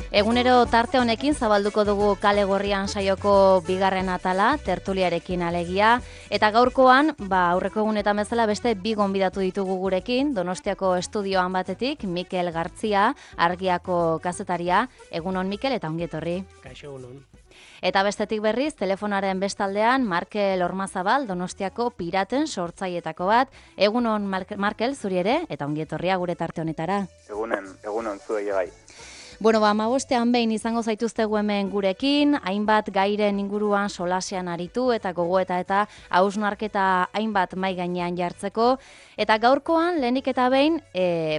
Egunero tarte honekin zabalduko dugu Kale Gorrian saioko bigarren atala, tertuliarekin alegia, eta gaurkoan, aurreko egunetan bezala beste bi gonbidatu ditugu gurekin, Donostiako estudioan batetik, Mikel Gartzia, Argiako kazetaria. Egunon Mikel eta ongi etorri. Kaixo, egunon. Eta bestetik berriz, telefonaren bestaldean, Markel Ormazabal, Donostiako piraten sortzailetako bat. Egunon Markel, zuri ere, eta ongi etorria gure tarte honetara. Egunon zuei bai. Bueno, 15ean behin izango zaituztegu hemen gurekin, hainbat gairen inguruan solasean aritu eta gogoeta eta hausnarketa hainbat mai gainean jartzeko. Eta gaurkoan, lehenik eta behin,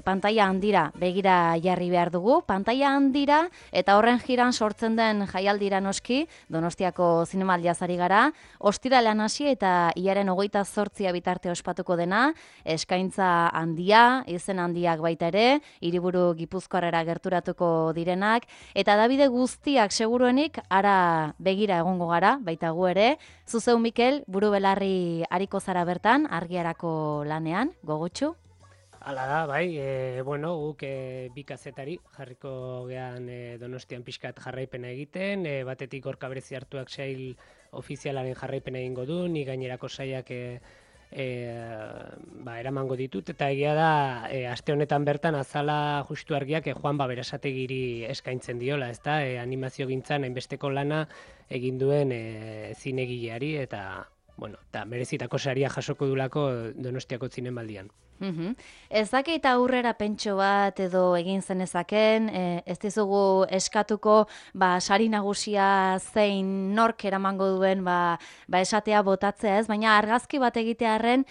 pantaila handira begira jarri behar dugu. Pantaila handira eta horren jiran sortzen den jaialdira noski, Donostiako zinemaldiaz ari gara. Ostiralean hasi eta hilaren 28 bitarte ospatuko dena, eskaintza handia, izen handiak baita ere, hiriburu Gipuzkoarrera gerturatuko direnak, eta Davide guztiak seguruenik ara begira egongo gara, baita gu ere. Zuzeu Mikel, buru belarri ariko zara bertan, Argiarako lanean, gogotsu? Hala da, bai, guk bi kazetari jarriko gean Donostian pixkat jarraipena egiten, batetik Gorka Berezi hartuak sail ofizialaren jarraipena egingo du, ni gainerako saiak eramango ditut, eta egia da, aste honetan bertan azala justu Argiak Juan Berasategiri eskaintzen diola, ezta, animazio gintzan hainbesteko lana egin duen zinegileari, eta merezitako saria jasoko dulako Donostiako zinemaldian. Ez dakit aurrera pentso bat edo egin zenezaken, ez dizugu eskatuko sari nagusia zein nork eramango duen esatea botatzea ez, baina argazki bat egitearren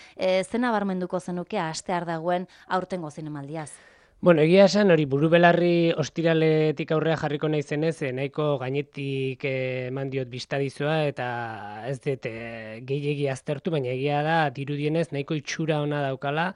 zena barmenduko zenuke astear dagoen aurtengo zinemaldiaz. Egia esan, hori buru belarri ostiraletik aurrea jarriko naizenez, nahiko gainetik eman diot bistadizua eta ez dut gehiegi aztertu, baina egia da dirudienez nahiko itxura ona daukala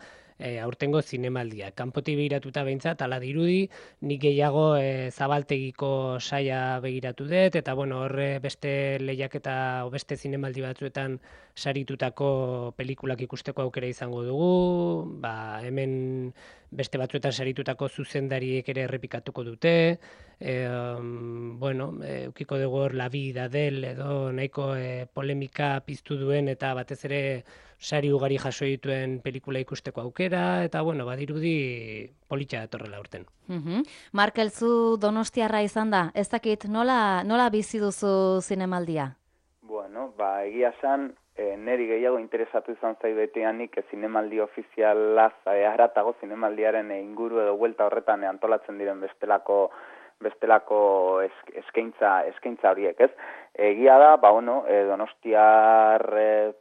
aurtengo zinemaldia. Kanpotik begiratuta behintzat, ala dirudi, nik gehiago zabaltegiko saia begiratu dut, eta horre beste lehiaketa o beste zinemaldi batzuetan saritutako pelikulak ikusteko aukera izango dugu, hemen beste batzuetan saritutako zuzendariek ere errepikatuko dute, ukiko dugu hor La Vida del edo nahiko polemika piztu duen eta batez ere sari ugari jaso dituen pelikula ikusteko aukera, eta badirudi politxa datorrela urten. Markel, zu Donostiarra izan da, ez dakit nola bizi duzu zinemaldia? Egia esan, neri gehiago interesatu izan zai beteanik zinemaldi ofizialaz haratago zinemaldiaren inguru edo buelta horretan antolatzen diren bestelako eskaintza horiek, ez? Egia da, Donostiar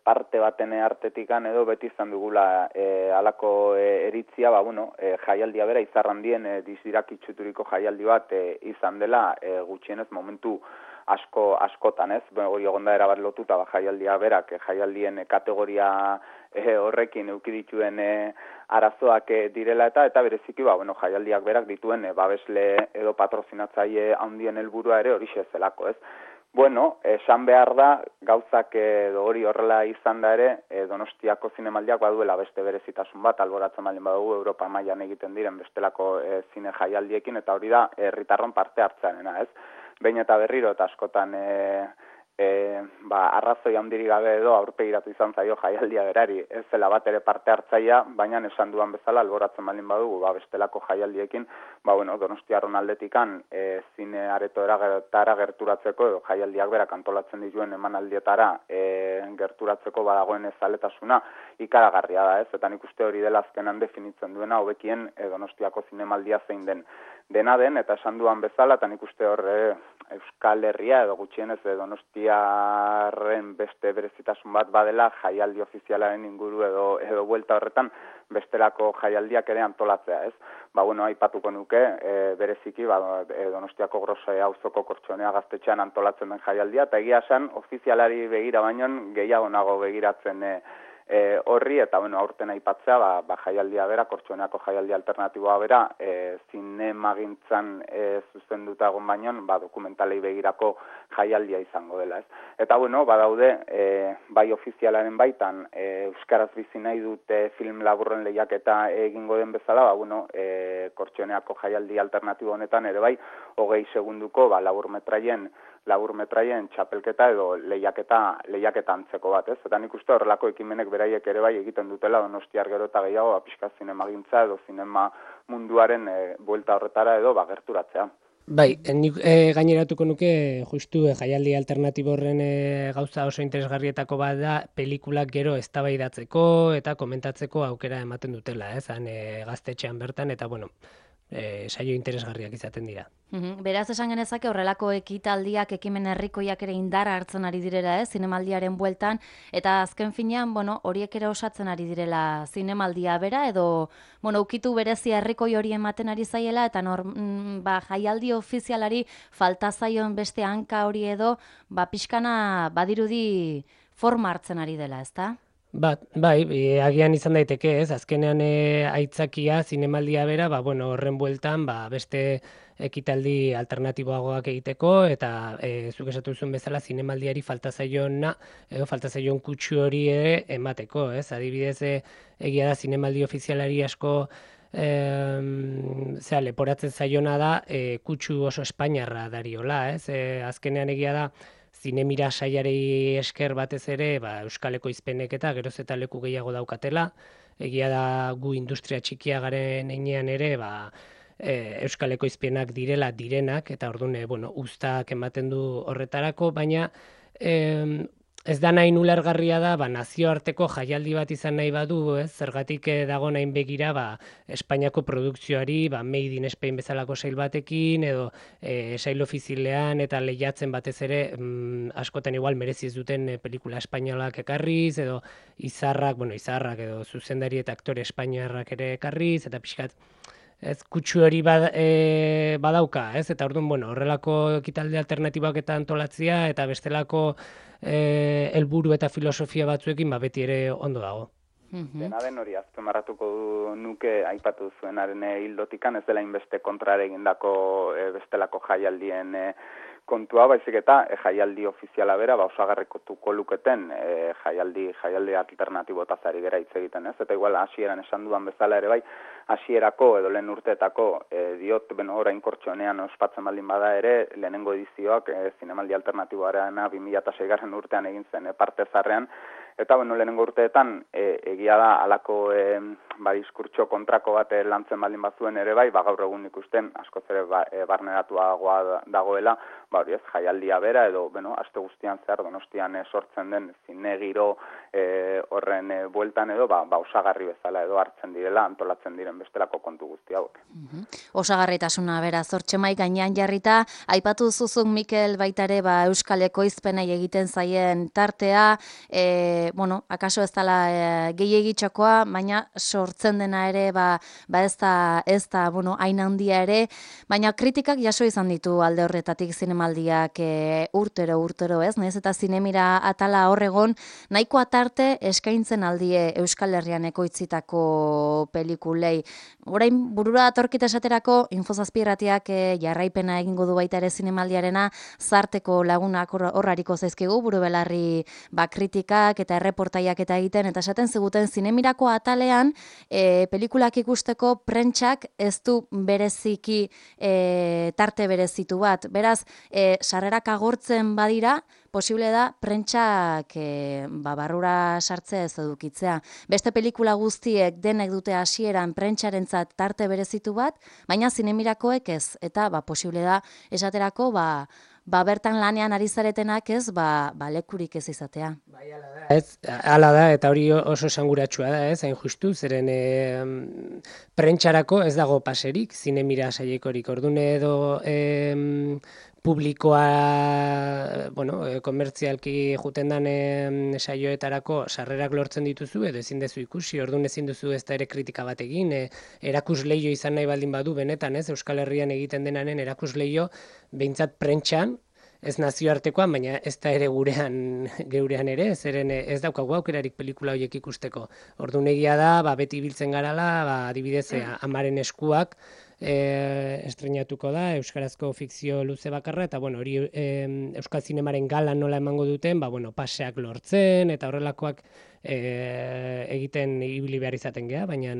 parte baten artetikan edo beti izan dugula halako eritzia, jaialdia bera izarrandien dizdirakitsuturiko jaialdi bat izan dela gutxienez momentu askotan, ez? Hori egonda erabat lotuta jaialdia berak, jaialdien kategoria horrekin eduki dituen arazoak direla eta bereziki jaialdiak berak dituen babesle edo patrozinatzaile handien helburua ere horixe zelako, ez? Esan behar da, gauzak hori horrela izan da ere, Donostiako zinemaldiak baduela beste berezitasun bat, alboratzen baldin badugu Europa mailan egiten diren bestelako zine jaialdiekin, eta hori da herritarron parte hartzearena, ez? Behin eta berriro eta askotan arrazoi handirik gabe edo aurpegiratu izan zaio jaialdia berari, ez zela bat ere parte hartzaia, baina esan duan bezala alboratzen baldin badugu bestelako jaialdiekin, Donostiarron aldetikan zine aretoetara gerturatzeko edo jaialdiak berak antolatzen dituen emanaldietara gerturatzeko badagoen zaletasuna ikaragarria da, ez? Eta nik uste hori dela azkenan definitzen duena hobekien Donostiako zinemaldia zein dena den, eta esan duan bezala, eta nik uste hor Euskal Herria edo gutxienez Donostiarren beste berezitasun bat badela jaialdi ofizialaren inguru edo buelta horretan bestelako jaialdiak ere antolatzea, ez? Aipatuko nuke, bereziki Donostiako Grose auzoko Kortxonea gaztetxean antolatzen den jaialdia, eta egia esan ofizialari begira baino gehiago nago begiratzen horri, eta aurten aipatzea, jaialdia bera, Kortxoneako jaialdi alternatiboa bera, zinemagintzan zuzenduta egon baino, dokumentalei begirako jaialdia izango dela, ez? Eta badaude, bai ofizialaren baitan, euskaraz bizi nahi dute film laburren lehiaketa egingo den bezala, Kortxoneako jaialdi alternatibo honetan ere bai, 20 segunduko labur metraien txapelketa edo lehiaketa antzeko bat, ez? Eta nik uste horrelako ekimenek beraiek ere bai egiten dutela Donostiar gero eta gehiago pixka zinemagintza edo zinema munduaren buelta horretara edo gerturatzea. Bai, nik gaineratuko nuke justu jaialdi alternatibo horren gauza oso interesgarrietako bat da pelikulak gero eztabaidatzeko eta komentatzeko aukera ematen dutela, gaztetxean bertan eta bueno, saio interesgarriak izaten dira. Beraz esan genezake horrelako ekitaldiak ekimen herrikoiak ere indarra hartzen ari direla, zinemaldiaren bueltan, eta azken finean, horiek ere osatzen ari direla zinemaldia bera, edo, ukitu berezia herrikoi hori ematen ari zaiela, eta jaialdi ofizialari falta zaion beste hanka hori edo, pixkana badirudi forma hartzen ari dela, ezta? Bai, agian izan daiteke, ez? Azkenean aitzakia zinemaldia bera, horren bueltan, beste ekitaldi alternatiboagoak egiteko, eta zuk esatu zuen bezala zinemaldiari falta zaion kutsu hori ere emateko, ez? Adibidez, egia da zinemaldi ofizialari asko leporatzen zaiona da kutsu oso espainiarra dariola, ez? Azkenean egia da zinemira saiari esker batez ere, Euskal Ekoizpenek eta geroz eta leku gehiago daukatela. Egia da gu industria txikia garen heinean ere, Euskal Ekoizpenak direnak, eta orduan, uztak ematen du horretarako, baina ez da nahi ulergarria da, nazioarteko jaialdi bat izan nahi badu, zergatik dago nahin begira, Espainiako produkzioari, Made in Spain bezalako sail batekin, edo sail ofizilean eta lehiatzen batez ere, askotan igual merezi ez duten pelikula espainolak ekarriz, edo izarrak edo zuzendari eta aktore espainiarrak ere ekarriz, eta pixkat, kutsu hori badauka, eta orduan, horrelako ekitaldi alternatiboak eta antolatzia, eta bestelako helburu eta filosofia batzuekin beti ere ondo dago. Dena den hori azpimarratuko nuke aipatu zuenaren hildotikan, ez dela inbeste kontrare egindako bestelako jaialdien kontua, baizik eta jaialdi ofiziala bera, osagarrikotuko luketen jaialdi alternatibotaz ari gera hitz egiten, ez? Eta igual hasieran esan dudan bezala ere bai, hasierako edo lehen urteetako diot, orain kortxonean ospatzen baldin bada ere, lehenengo edizioak zinemaldi alternatiboarena 2006 urtean egin zen parte zarrean, eta lehenengo urteetan egia da alako diskurtso kontrako bat lantzen baldin bazuen ere bai, gaur egun ikusten askoz ere barneratuagoa dagoela, hori ez, jaialdia bera edo, aste guztian zehar Donostian sortzen den zine giro horren bueltan edo, osagarri bezala edo hartzen direla, antolatzen diren bestelako kontu guzti hauek. Osagarritasuna bera, zortxemai gainean jarrita, aipatu zuzuk Mikel baitare Euskal Ekoizpenei egiten zaien tartea, akaso ez dela gehiegitxokoa, baina sortzen dena ere, ez da, hain handia ere, baina kritikak jaso izan ditu alde horretatik zinemaldiak urtero, ez? Nahiz eta zinemira atala horregon, nahiko atarte eskaintzen aldie Euskal Herrian ekoitzitako pelikulei. Orain, burura atorkita esaterako, Infozazpiratiak jarraipena egingo du baita ere zinemaldiarena, zarteko lagunak horrariko zaizkigu, buru belarri kritikak eta erreportaiak eta egiten, eta esaten ziguten zinemirako atalean pelikulak ikusteko prentsak ez du bereziki tarte berezitu bat. Beraz, sarrerak agortzen badira, posible da prentsak barrura sartzea ez edukitzea. Beste pelikula guztiek denek dute hasieran prentsarentzat tarte berezitu bat, baina zinemirakoek ez, eta posible da esaterako bertan lanean ari zaretenak ez, lekurik ez izatea. Bai, hala da, eta hori oso esanguratsua da, hain justu, zeren prentxarako ez dago paserik, zinemira saiekorik, ordune edo publikoa, komertzialki juten den saioetarako sarrerak lortzen dituzu, edo ezin dezu ikusi, orduan ezin duzu ez da ere kritika bat egin, erakusleio izan nahi baldin badu benetan, Euskal Herrian egiten denaren erakusleio, behintzat prentxan, ez nazioartekoan, baina ez da ere geurean ere, zeren ez daukagu aukerarik pelikula horiek ikusteko. Orduan egia da, beti biltzen garala, adibidez, Amaren eskuak, estreinatuko da, euskarazko fikzio luze bakarra, eta hori Euskal Zinemaren galan nola emango duten, paseak lortzen, eta horrelakoak egiten ibili behar izaten geha, baina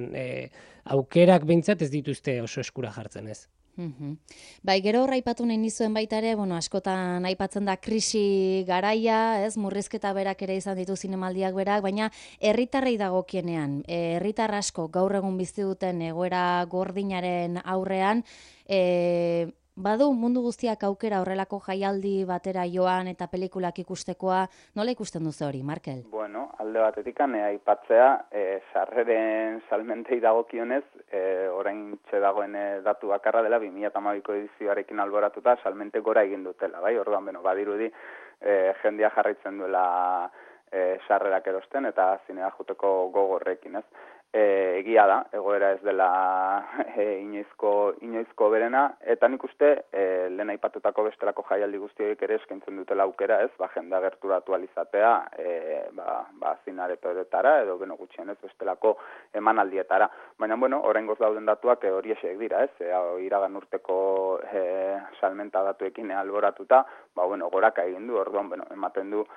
aukerak behintzat ez dituzte oso eskura jartzen ez. Bai, gero hor aipatu nahi nizuen baita ere, askotan aipatzen da krisi garaia, ez, murrizketa berak ere izan ditu zinemaldiak berak, baina herritarrei dagokienean, herritar asko gaur egun bizi duten egoera gordinaren aurrean, badu mundu guztiak aukera horrelako jaialdi batera joan eta pelikulak ikustekoa, nola ikusten duzu hori, Markel? Bueno, alde batetik aipatzea, sarreren salmentei dagokionez, orain dagoen datu bakarra dela 2012ko edizioarekin alboratuta salmente gora egin dutela, bai? Orduan, badirudi jendea jarraitzen duela sarrerak erosten eta zinea juteko gogorrekin, ez? Egia da, egoera ez dela inoizko berena, eta nik uste lehen aipatutako bestelako jaialdi guztiek ere eskaintzen dutela aukera, ez, jendea gerturatu alizatea, zinaretoetara, edo gutxienez bestelako emanaldietara. Baina, oraingoz dauden datuak hori esek dira, ez, iragan urteko salmenta datuekin alboratuta, goraka egin du, orduan, ematen du,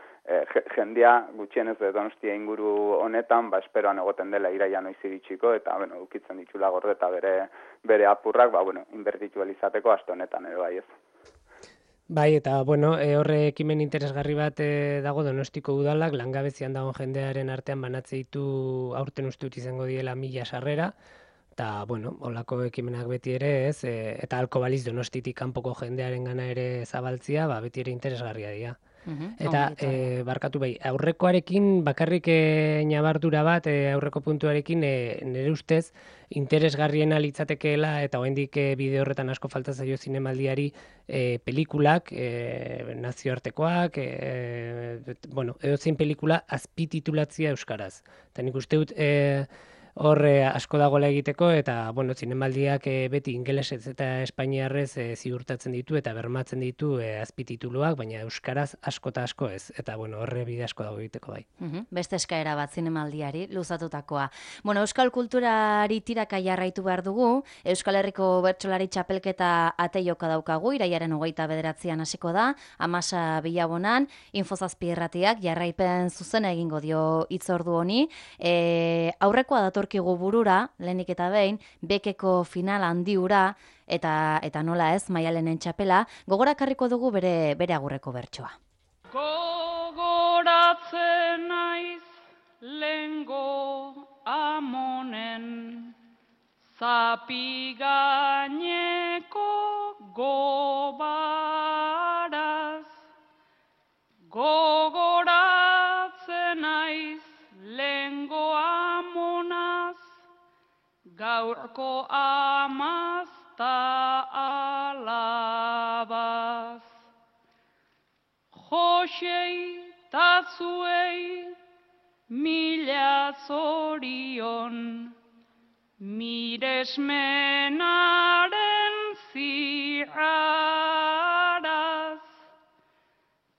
jendea gutxienez Donostia inguru honetan, esperoan egoten dela iraia noiz iritsiko, eta, ukitzen ditula gorde eta bere apurrak, inbertitu izateko aste honetan, ere bai ez. Bai, eta, horre ekimen interesgarri bat dago Donostiko udalak, langabezian dagoen jendearen artean banatze ditu aurten uste dut izango diela 1000 sarrera, eta, holako ekimenak beti ere ez, eta halko baliz Donostitik kanpoko jendearen gana ere zabaltzia, beti ere interesgarria dira. Eta, barkatu bai, aurrekoarekin bakarrik nabardura bat, aurreko puntuarekin nire ustez interesgarriena litzatekeela eta oraindik bide horretan asko falta zaio zinemaldiari pelikulak, nazioartekoak, edozein pelikula azpititulatzea euskaraz. Eta nik uste dut hor asko dagoela egiteko eta zinemaldiak beti ingelesez eta espainiarrez ziurtatzen ditu eta bermatzen ditu azpitituluak, baina euskaraz asko eta asko ez. Eta horre bide asko dago egiteko bai. Beste eskaera bat zinemaldiari luzatutakoa. Euskal kulturari tiraka jarraitu behar dugu, Euskal Herriko Bertsolari Txapelketa ateioka daukagu, irailaren 29an hasiko da, Amasa Bilabonan, Infozazpi Irratiak jarraipen zuzena egingo dio hitzordu honi. Aurrekoa datorkigu burura, lehenik eta behin, bekeko final handi hura, eta nola ez, Maialenen txapela, gogorakarriko dugu bere agurreko bertsoa. Gogoratzen naiz lengo amonen, zapi gaineko gobaraz, gogoratzen naiz lengo amonaz, gaurko amazta alabaz. Josei tatzuei mila zorion, miresmenaren ziraraz,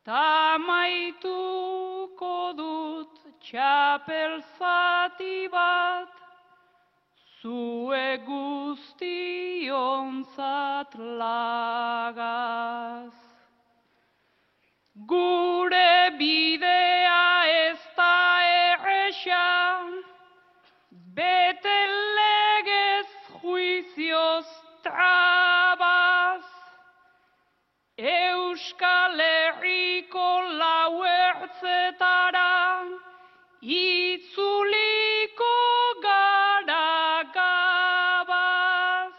tamaituko dut txapel zati bat, zue guztionzat lagaz. Gure bidea ez da erresa, bete legez juizioz trabaz, Euskal Herriko lau ertzetara itzuliko gara gabaz,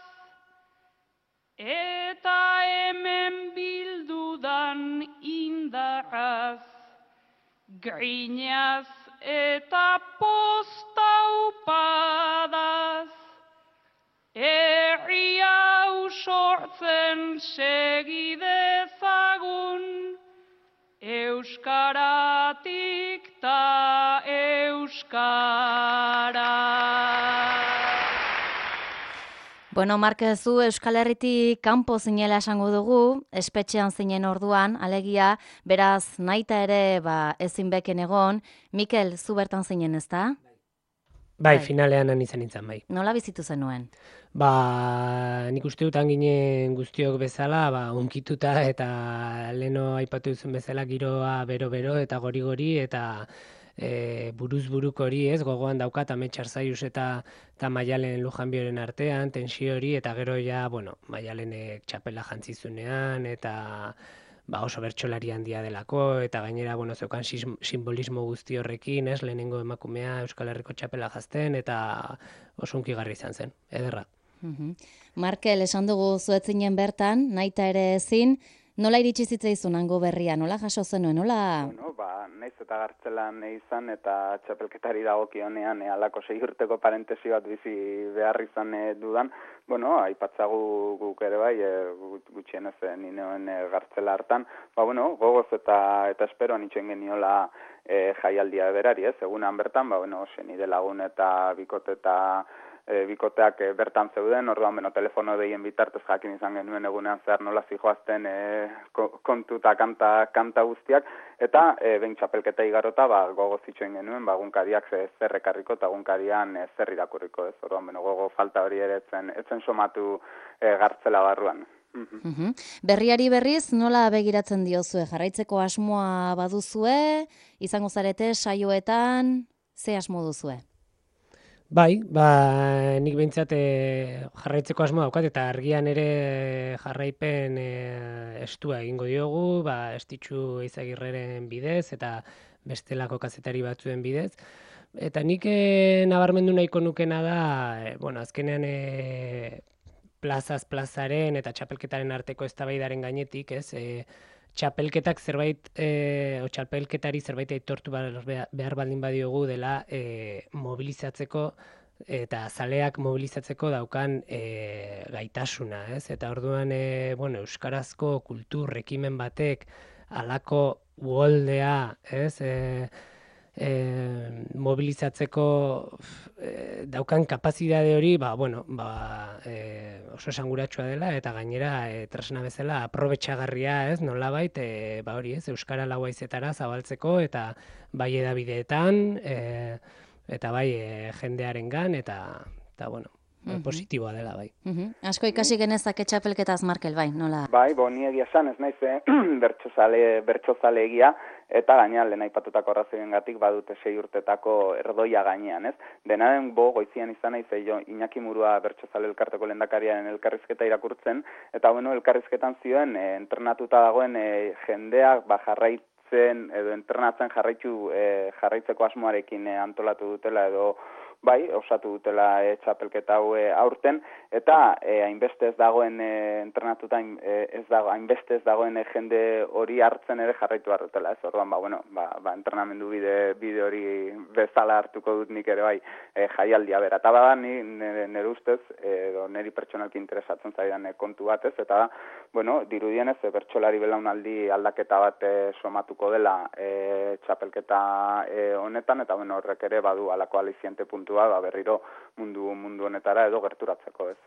eta hemen bildudan indarraz, grinaz eta posta upadaz, herri hau sortzen segidezagun, euskaratik ta euskara. Marquez, zu Euskal Herritik kanpo zinela esango dugu, espetxean zinen orduan, alegia, beraz, naita ere, ezin beken egon. Mikel, zu bertan zinen, ezta? Bai, finalean izan nintzen, bai. Nola bizitu zenuen? Nik uste dutan ginen guztiok bezala, unkituta eta leno aipatu duzun bezala giroa bero-bero eta gori-gori eta buruz buruk hori, ez, gogoan daukat Amets Arzaius eta Maialen Lujanbioren artean, tensio hori, eta gero ja, bueno, Maialenek txapela jantzizunean, eta oso bertsolari handia delako, eta gainera, bueno, zeukan simbolismo guzti horrekin, ez, lehenengo emakumea Euskal Herriko txapela jazten, eta oso hunkigarri izan zen, ederra. Markel, esan dugu zuetzinen bertan, naita ere ezin, nola iritsi zitzaizun hango berria, nola jaso zenuen, nola? Bueno, naiz eta gartzelan izan eta txapelketari dagokionean halako 6 urteko parentesi bat bizi behar izan dudan, bueno, aipatzagu guk ere bai, gutxienez ni neuen gartzela hartan, gogoz eta esperoan itxoen geniola jaialdia berari, ez? Egunan bertan, senide lagun eta bikoteak bertan zeuden, orduan telefono deien bitartez jakin izan genuen egunean zehar nola zijoazten kontu eta kanta guztiak, eta behin txapelketa igarota gogo zituen genuen, egunkariak zer ekarriko eta egunkarian zer irakurriko, ez? Orduan gogo falta hori ere etzen somatu gartzela barruan. Berriari berriz, nola begiratzen diozue? Jarraitzeko asmoa baduzue, izango zarete saioetan, ze asmo duzue? Bai, nik behintzat jarraitzeko asmoa daukat, eta argian ere jarraipen estua egingo diogu, Estitxu Eizagirreren bidez, eta bestelako kazetari batzuen bidez. Eta nik nabarmendu nahiko nukena da, azkenean plazaz plazaren eta txapelketaren arteko eztabaidaren gainetik, ez, txapelketak zerbait, txapelketari zerbait aitortu behar baldin badiogu dela mobilizatzeko eta zaleak mobilizatzeko daukan gaitasuna, ez? Eta orduan, euskarazko kultur ekimen batek halako uholdea, ez? Mobilizatzeko daukan kapazidade hori, oso esanguratsua dela, eta gainera tresna bezala aprobetxagarria, ez, nolabait, hori, ez, euskara lau haizetara zabaltzeko, eta bai edabideetan, eta bai jendearengan, eta positiboa dela, bai. Asko ikasi genezake txapelketaz, Markel, bai, nola? Bai, ni egia esan, ez naiz bertsozale egia, eta gainean lehen aipatutako arrazoiengatik badute 6 urtetako erdoia gainean, ez? Denaren goizian izan naiz Iñaki Murua bertsozale elkarteko lehendakariaren elkarrizketa irakurtzen, eta elkarrizketan zioen entrenatuta dagoen jendeak jarraitzen edo entrenatzen jarraitzeko asmoarekin antolatu dutela edo osatu dutela txapelketa hau aurten, eta hainbeste ez dagoen entrenatuta hainbeste ez dagoen jende hori hartzen ere jarraitu behar dutela, ez? Orduan, entrenamendu bide hori bezala hartuko dut nik ere bai jaialdia bera. Eta nire ustez, niri pertsonalki interesatzen zaidan kontu bat, ez? Eta, dirudienez, bertsolari belaunaldi aldaketa bat somatuko dela txapelketa honetan, eta horrek ere badu alako aliziente puntua, berriro mundu honetara edo gerturatzeko, ez.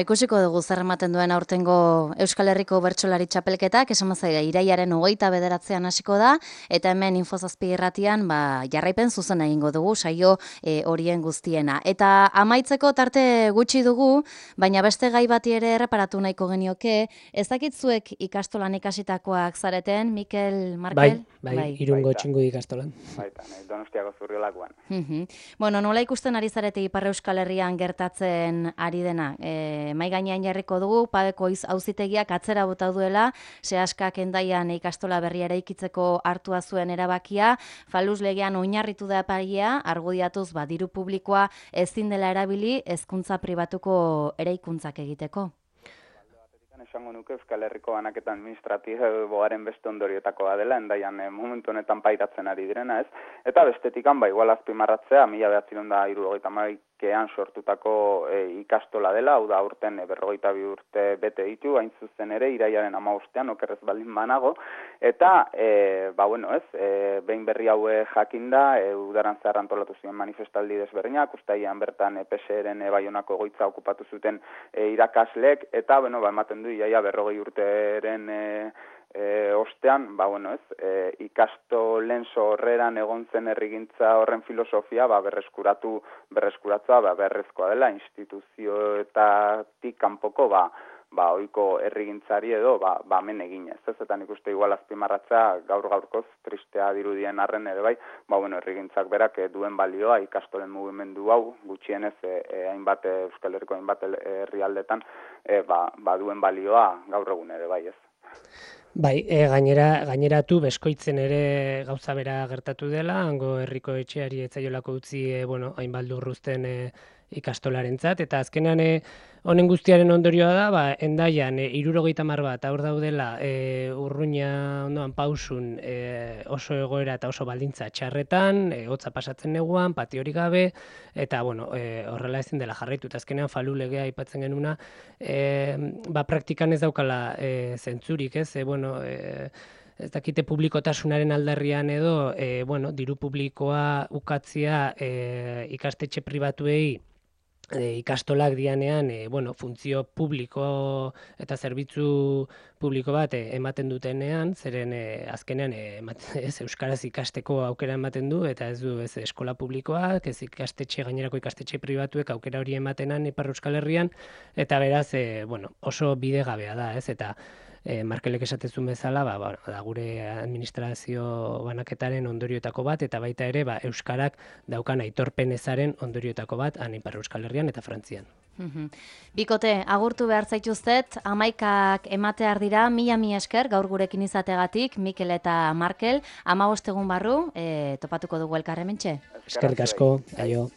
Ikusiko dugu zer ematen duen aurtengo Euskal Herriko bertsolari txapelketak, esan mazaiga, iraiaren 29 hasiko da, eta hemen Info7 irratian, jarraipen zuzen egingo dugu, saio horien guztiena. Eta amaitzeko tarte gutxi dugu, baina beste gai bati ere erreparatu nahiko genioke, ez dakitzuek ikastolan ikasitakoak zareten, Mikel, Markel? Bai, Irungo Txingudi ikastolan. Baita, Donostiako Zurriolakoan. Nola ikusten ari zarete Ipar Euskal Herrian gertatzen ari dena? Mai gainean jarriko dugu, Padeko auzitegiak atzera bota duela, Seaskak Hendaian ikastola berria eraikitzeko hartua zuen erabakia, Faluz legean oinarritu da epaia, argudiatuz diru publikoa ezin dela erabili hezkuntza pribatuko eraikuntzak egiteko. Esango nuke Euskal Herriko banaketa administratiboaren beste ondorioetakoa dela, Hendaian momentu honetan pairatzen ari direna, ez? Eta bestetikan, igual azpimarratzea, 1972an sortutako ikastola dela, hau da aurten 42 urte bete ditu, hain zuzen ere, iraiaren 15ean, okerrez baldin banago, eta, behin berri hau jakinda, udaran zehar antolatu ziren manifestaldi desberdinak, ustaian bertan PSR-en Baionako egoitza okupatu zuten irakaslek, eta, ematen du, iaia 40 urteren ostean, ikastolen sorreran egon zen herrigintza horren filosofia, berreskuratzea beharrezkoa dela, instituzioetatik kanpoko, ohiko herrigintzari edo hemen eginez, ez? Eta nik uste igual azpimarratzea gaur-gaurkoz tristea dirudien arren ere bai, herrigintzak berak duen balioa ikastolen mugimendu hau gutxienez hainbat Euskal Herriko hainbat herrialdetan duen balioa gaur egun ere bai, ez? Bai, gaineratu beskoitzen ere gauza bera gertatu dela, hango herriko etxeari etzaiolako utzi, hainbat lurruzten ikastolarentzat, eta azkenean honen guztiaren ondorioa da, Hendaian 70 bat aur daudela Urruña ondoan Pausun oso egoera eta oso baldintza txarretan, hotza pasatzen neguan, patiorik gabe, eta horrela ezin dela jarraitu, eta azkenean Falu legea aipatzen genuna, praktikan ez daukala zentzurik, ez? Ez dakite publikotasunaren aldarrian edo, diru publikoa ukatzia ikastetxe pribatuei ikastolak dianean, funtzio publiko eta zerbitzu publiko bat ematen dutenean, zeren azkenean euskaraz ikasteko aukera ematen du, eta ez du ez eskola publikoak, ez gainerako ikastetxe pribatuek aukera hori ematenan Ipar Euskal Herrian, eta beraz, oso bidegabea da, ez? Eta Markelek esatezun bezala, da gure administrazio banaketaren ondorioetako bat, eta baita ere, euskarak daukan aitorpen ezaren ondorioetako bat, Ipar Euskal Herrian eta Frantzian. Bikote, agurtu behar zaituztet, 11ak ematear dira, mila esker gaur gurekin izategatik, Mikel eta Markel, 15 egun barru, topatuko dugu elkarrementxe. Eskerrik asko, aio.